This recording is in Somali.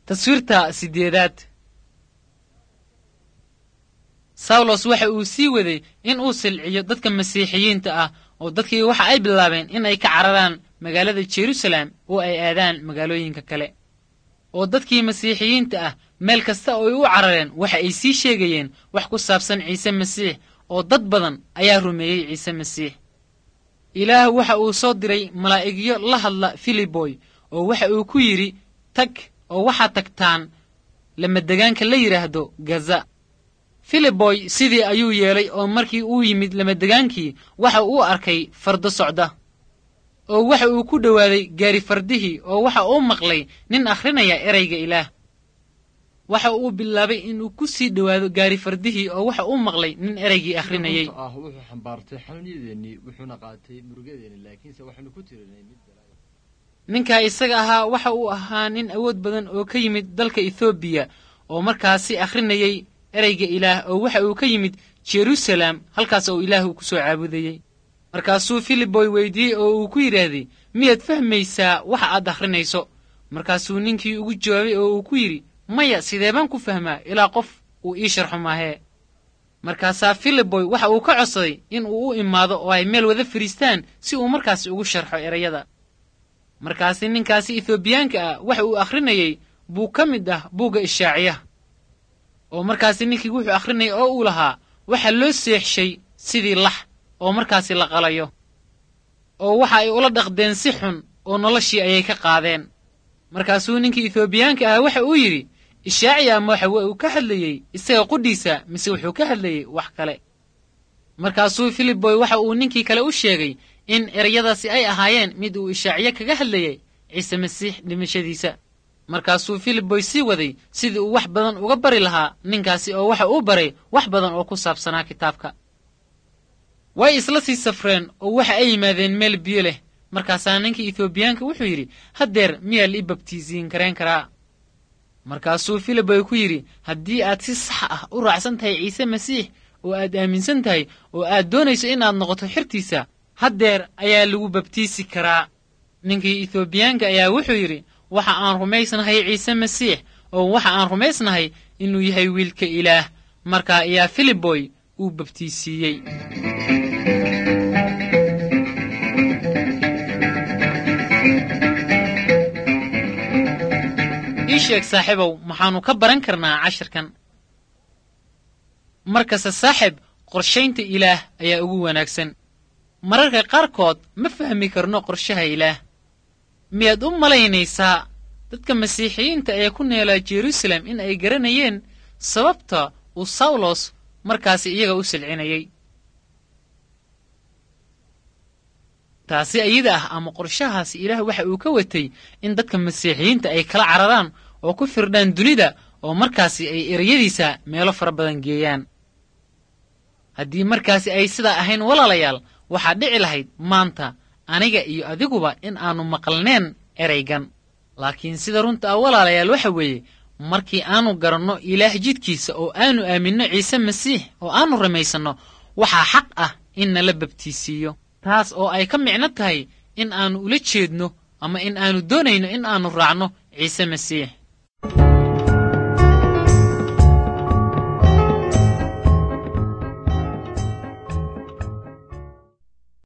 Taswiirta sideedaad. Sawlos waxa uu sii waday in uu silciyo dadka masiixiyiinta ah, oo dadkii waxa ay bilaabeen in ay ka cararaan magaalada Jerusalem oo ay aadaan magaalooyinka kale. Oo dadkii masiixiyiinta ah meel kasta oo ay u carareen waxa ay sii sheegayeen wax ku saabsan Ciise Masiix, oo dad badan ayaa rumeeyey Ciise Masiix. Ilaah waxa uu soo diray malaa'igyo la hadla Filiboy, oo waxa uu ku yidhi, tag oo waxaad tagtaan lamadegaanka la yidhaahdo Gaza. Filiboy sidii ayuu yeelay, oo markii uu yimid lamadegaankii waxa uu arkay fardo socda, oo waxa uu ku dhowaaday gaari fardihii, oo waxa uu maqlay nin akhrinaya erayga Ilaah. Waxa uu bilaabay inuu ku sii dhowaado gaari fardihii, oo waxa uu maqlay nin eraygii akhrinayay. Ah, wuxuu xambaartay xanuunyadeennii, wuxuuna qaatay murugadeennii, laakiinse waxaynu ku tirinay mid balaayo. Ninkaa isaga ahaa waxa uu ahaa nin awood badan oo ka yimid dalka Ethoobiya, oo markaasi akhrinayay ereyga Ilaah, oo waxa uu ka yimid Jerusalem, halkaas oo Ilaah uu ku soo caabudayey. Markaasuu Filiboy weydiiyey oo uu ku yidhaahday, miyaad fahmaysaa waxa aad akhrinayso? Markaasuu ninkii ugu jawaabay oo uu ku yidhi, maya, sidee baan ku fahmaa ilaa qof uu ii sharxo maahee? Markaasaa Filiboy waxa uu ka codsaday in uu u imaado oo ay meel wada fadhiistaan si uu markaasi ugu sharxo erayada. Markaasi ninkaasi Ethoobiyaanka ah waxa uu akhrinayey buu ka mid ah buugga Ishaaciyaha. Oo markaasi ninkii wuxuu akhrinayay oo uu lahaa, waxa loo seexshay sidii lax oo markaasi la qalayo, oo waxa ay ula dhaqdeen si xun, oo noloshii ayay ka qaadeen. Markaasuu ninkii Ethoobiyaanka ah waxa uu yidhi, Ishaaciya ma waxa uu ka hadlayey isaga qudhiisa mise wuxuu ka hadlayey wax kale? Markaasuu Filiboy waxa uu ninkii kale u sheegay in ereyadaasi ay ahaayeen mid uu Ishaaciye kaga hadlayay Ciise Masiix dhimashadiisa. Markaasuu Filiboy sii waday sidii uu wax badan uga bari lahaa ninkaasi, oo waxa uu baray wax badan oo ku saabsanaa kitaabka. Way isla sii safreen oo waxa ay yimaadeen meel biyo leh. Markaasaa ninkii Ethoobiyaanka wuxuu yidhi, haddeer miyaa la ii babtiisiin karayn karaa? Markaasuu Filiboy ku yidhi, haddii aad si sax ah u raacsan tahay Ciise Masiix oo aad aaminsan tahay oo aad doonayso in aad noqoto xertiisa, haddeer ayaa lagu babtiisi karaa. Ninkii Ethoobiyaanka ayaa wuxuu yidhi, waxa aan rumaysnahay Ciise Masiix, oo waxa aan rumaysnahay inuu yahay wiilka Ilaah. Markaa ayaa Filiboy uu babtiisiiyey. Ii sheeg saaxiibow, maxaannu ka baran karnaa cashirkan? Markasta saaxiib, qorshaynta Ilaah ayaa ugu wanaagsan. Mararka qaarkood ma fahmi karno qorshaha Ilaah. Miyaad u malaynaysaa dadka masiixiyiinta ee ku neelaa Jerusalem in ay garanayeen sababta uu Sawlos markaasi iyaga u silcinayay? Taasi iyada ah ama qorshahaasi Ilaah waxa uu ka watay in dadka masiixiyiinta ay kala cararaan oo ku firdhaan dunida, oo markaasi ay ereyadiisa meelo fara badan geeyaan. Haddii markaasi ay sidaa ahayn, walaalayaal, waxaa dhici lahayd maanta aniga iyo adiguba in aannu maqalneen eraygan. Laakiin sida runta ah, walaalayaal, waxa weeye markii aanu garanno Ilaah jidkiisa oo aanu aaminno Ciise Masiix oo aanu rumaysanno, waxaa xaq ah in nala babtiisiiyo, taas oo ay ka micno tahay in aannu ula jeedno ama in aanu doonayno in aannu raacno Ciise Masiix.